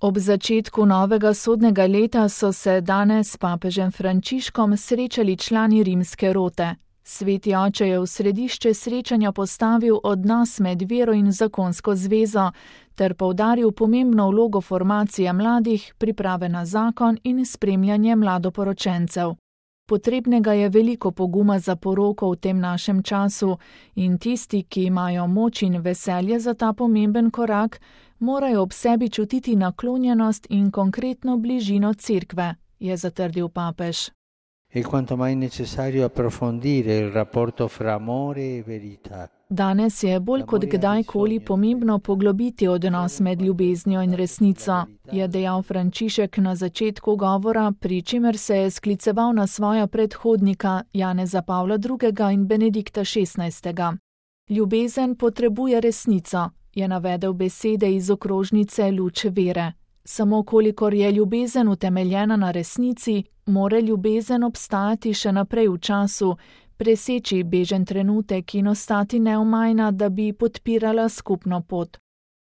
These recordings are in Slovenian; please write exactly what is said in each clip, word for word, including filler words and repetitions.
Ob začetku novega sodnega leta so se danes s papežem Frančiškom srečali člani rimske rote. Sveti oče je v središče srečanja postavil odnos med vero in zakonsko zvezo ter poudaril pomembno vlogo formacije mladih, priprave na zakon in spremljanje mladoporočencev. Potrebnega je veliko poguma za poroko v tem našem času in tisti, ki imajo moč in veselje za ta pomemben korak, morajo ob sebi čutiti naklonjenost in konkretno bližino cerkve, je zatrdil papež. È quanto mai necessario approfondire il rapporto fra amore e verità. Danes je bolj kot kdajkoli pomembno poglobiti odnos med ljubeznijo in resnico, je dejal Frančišek na začetku govora, pri čemer se je skliceval na svoja predhodnika Janeza Pavla drugega in Benedikta šestnajstega. Ljubezen potrebuje resnico, je navedel besede iz okrožnice Luč vere. Samo kolikor je ljubezen utemeljena na resnici, more ljubezen obstajati še naprej v času, preseči bežen trenutek in ostati neomajna, da bi podpirala skupno pot.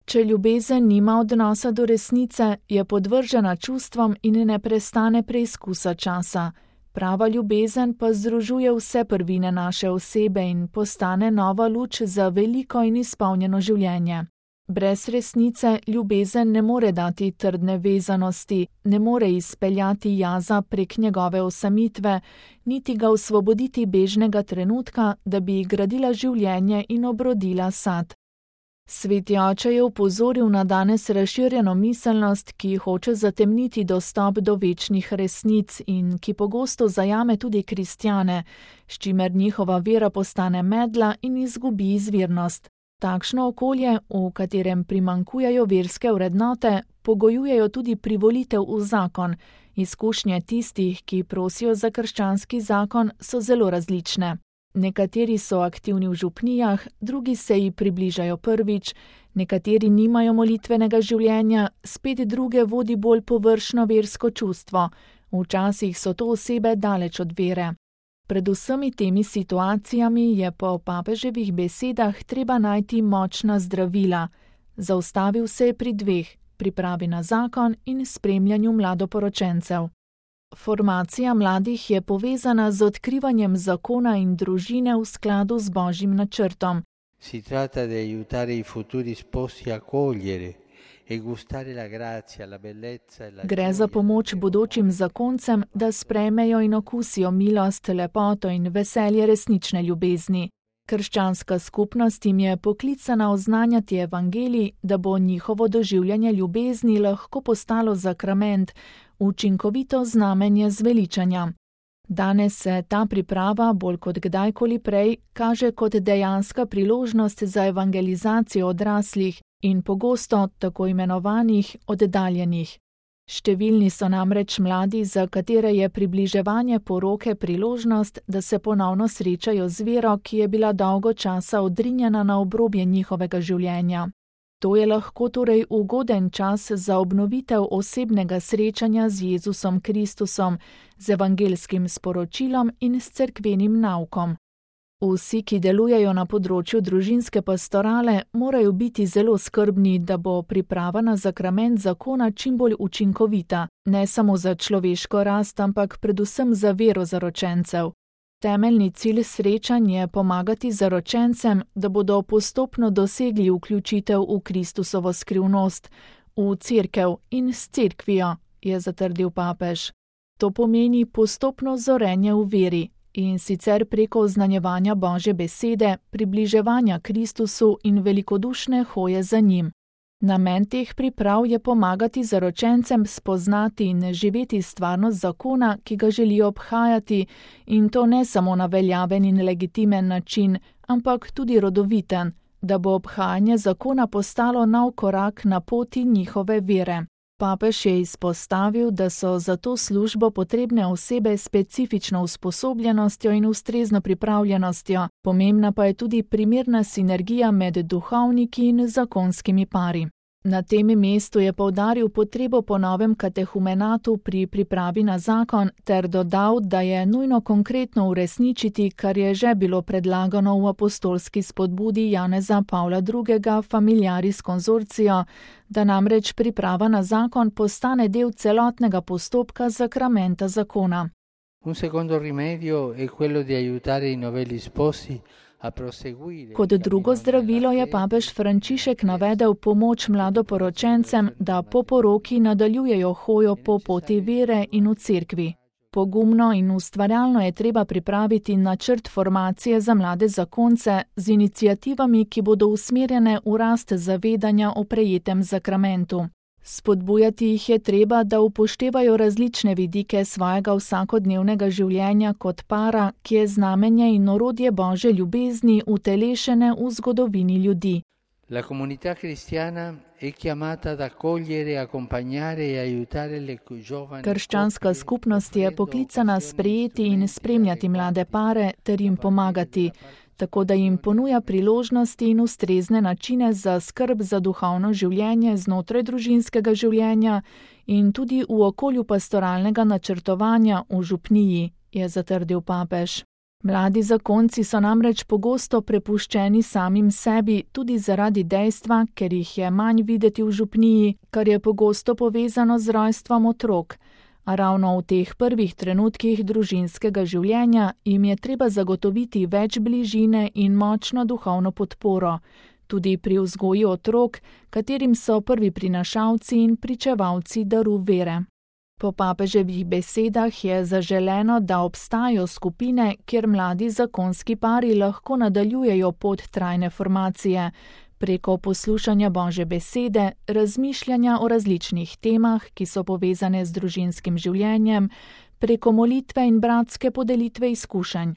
Če ljubezen nima odnosa do resnice, je podvržena čustvom in ne prestane preizkusa časa. Prava ljubezen pa združuje vse prvine naše osebe in postane nova luč za veliko in izpolnjeno življenje. Brez resnice ljubezen ne more dati trdne vezanosti, ne more izpeljati jaza prek njegove osamitve, niti ga osvoboditi bežnega trenutka, da bi gradila življenje in obrodila sad. Sveti oče je opozoril na danes razširjeno miselnost, ki hoče zatemniti dostop do večnih resnic in ki pogosto zajame tudi kristjane, s čimer njihova vera postane medla in izgubi izvirnost. Takšno okolje, v katerem primanjkujejo verske vrednote, pogojujejo tudi privolitev v zakon. Izkušnje tistih, ki prosijo za krščanski zakon, so zelo različne. Nekateri so aktivni v župnijah, drugi se ji približajo prvič, nekateri nimajo molitvenega življenja, spet druge vodi bolj površno versko čustvo. Včasih so to osebe daleč od vere. Pred vsemi temi situacijami je po papeževih besedah treba najti močna zdravila. Zaustavil se je pri dveh, pripravi na zakon in spremljanju mladoporočencev. Formacija mladih je povezana z odkrivanjem zakona in družine v skladu z Božjim načrtom. Si tratta di aiutare i futuri sposi a cogliere. Gre za pomoč bodočim zakoncem, da sprejmejo in okusijo milost, lepoto in veselje resnične ljubezni. Krščanska skupnost jim je poklicana oznanjati evangelij, da bo njihovo doživljanje ljubezni lahko postalo sakrament, učinkovito znamenje zveličanja. Danes se ta priprava bolj kot kdajkoli prej kaže kot dejanska priložnost za evangelizacijo odraslih in pogosto tako imenovanih oddaljenih. Številni so namreč mladi, za katere je približevanje poroke priložnost, da se ponovno srečajo z vero, ki je bila dolgo časa odrinjena na obrobje njihovega življenja. To je lahko torej ugoden čas za obnovitev osebnega srečanja z Jezusom Kristusom, z evangelskim sporočilom in s cerkvenim naukom. Vsi, ki delujejo na področju družinske pastorale, morajo biti zelo skrbni, da bo priprava na sakrament zakona čim bolj učinkovita, ne samo za človeško rast, ampak predvsem za vero zaročencev. Temeljni cilj srečanj je pomagati zaročencem, da bodo postopno dosegli vključitev v Kristusovo skrivnost, v cerkev in s cerkvijo, je zatrdil papež. To pomeni postopno zorenje v veri. In sicer preko oznanjevanja Božje besede, približevanja Kristusu in velikodušne hoje za njim. Namen teh priprav je pomagati zaročencem spoznati in živeti stvarnost zakona, ki ga želijo obhajati, in to ne samo na veljaven in legitimen način, ampak tudi rodoviten, da bo obhajanje zakona postalo nov korak na poti njihove vere. Papež je izpostavil, da so za to službo potrebne osebe s specifično usposobljenostjo in ustrezno pripravljenostjo, pomembna pa je tudi primerna sinergija med duhovniki in zakonskimi pari. Na tem mestu je poudaril potrebo po novem katehumenatu pri pripravi na zakon ter dodal, da je nujno konkretno uresničiti, kar je že bilo predlagano v apostolski spodbudi Janeza Pavla drugega Familiaris Consortio, da namreč priprava na zakon postane del celotnega postopka sakramenta zakona. Un secondo rimedio è quello di aiutare i novelli sposi. Kot drugo zdravilo je papež Frančišek navedel pomoč mladoporočencem, da po poroki nadaljujejo hojo po poti vere in v cerkvi. Pogumno in ustvarjalno je treba pripraviti načrt formacije za mlade zakonce z iniciativami, ki bodo usmerjene v rast zavedanja o prejetem sakramentu. Spodbujati jih je treba, da upoštevajo različne vidike svojega vsakodnevnega življenja kot para, ki je znamenje in orodje Božje ljubezni utelešene v zgodovini ljudi. La comunità cristiana è chiamata ad accogliere, accompagnare e aiutare le giovani. Krščanska skupnost je poklicana sprejeti in spremljati mlade pare ter jim pomagati, tako da jim ponuja priložnosti in ustrezne načine za skrb za duhovno življenje znotraj družinskega življenja in tudi v okolju pastoralnega načrtovanja v župniji, je zatrdil papež. Mladi zakonci so namreč pogosto prepuščeni samim sebi tudi zaradi dejstva, ker jih je manj videti v župniji, kar je pogosto povezano z rojstvom otrok. A ravno v teh prvih trenutkih družinskega življenja jim je treba zagotoviti več bližine in močno duhovno podporo, tudi pri vzgoji otrok, katerim so prvi prinašalci in pričevalci daru vere. Po papeževih besedah je zaželeno, da obstajajo skupine, kjer mladi zakonski pari lahko nadaljujejo pot trajne formacije, preko poslušanja Božje besede, razmišljanja o različnih temah, ki so povezane z družinskim življenjem, preko molitve in bratske podelitve izkušenj.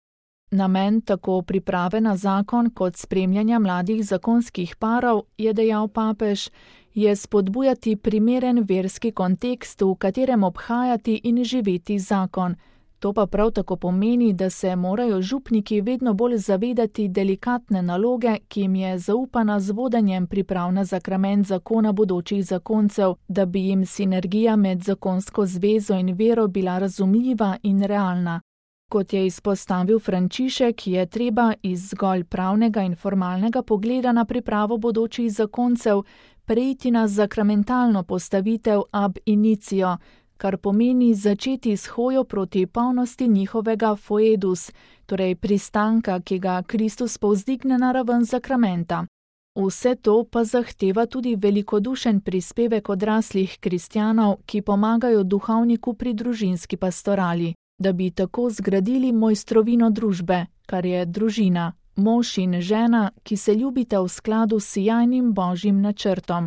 Namen tako priprave na zakon kot spremljanja mladih zakonskih parov, je dejal papež, je spodbujati primeren verski kontekst, v katerem obhajati in živeti zakon. To pa prav tako pomeni, da se morajo župniki vedno bolj zavedati delikatne naloge, ki jim je zaupana z vodenjem priprav na sakrament zakona bodočih zakoncev, da bi jim sinergija med zakonsko zvezo in vero bila razumljiva in realna. Kot je izpostavil Frančišek, je treba iz zgolj pravnega in formalnega pogleda na pripravo bodočih zakoncev preiti na sakramentalno postavitev ab initio, kar pomeni začeti s hojo proti polnosti njihovega foedus, torej pristanka, ki ga Kristus povzdigne na raven sakramenta. Vse to pa zahteva tudi velikodušen prispevek odraslih kristjanov, ki pomagajo duhovniku pri družinski pastorali, da bi tako zgradili mojstrovino družbe, kar je družina, mož in žena, ki se ljubita v skladu s sijajnim Božjim načrtom.